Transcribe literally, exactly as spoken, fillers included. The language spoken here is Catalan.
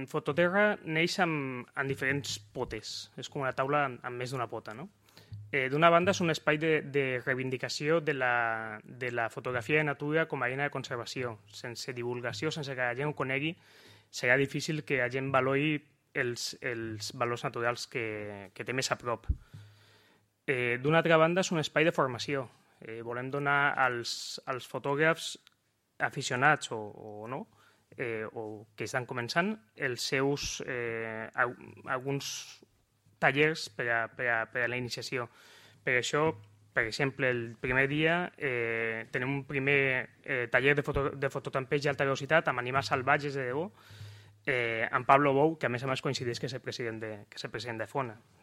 Fototerra neix amb, amb diferents potes. És com una taula amb, amb més d'una pota, no? Eh, D'una banda, és un espai de, de reivindicació de la, de la fotografia de natura com a eina de conservació. Sense divulgació, sense que la gent ho conegui, serà difícil que la gent valori els, els valors naturals que, que té més a prop. Eh, D'una altra banda, és un espai de formació. Eh, volem donar als, als fotògrafs aficionats o, o no, eh, o que estan començant, els seus eh, alguns tallers per a, per a, per a la iniciació. Per això, per exemple, el primer dia eh, tenim un primer eh, taller de, foto, de fototampeig d'alta velocitat amb animals salvatges de debò, eh, amb Pablo Bou, que a més a més coincideix que és el president de, que és el president de Fona.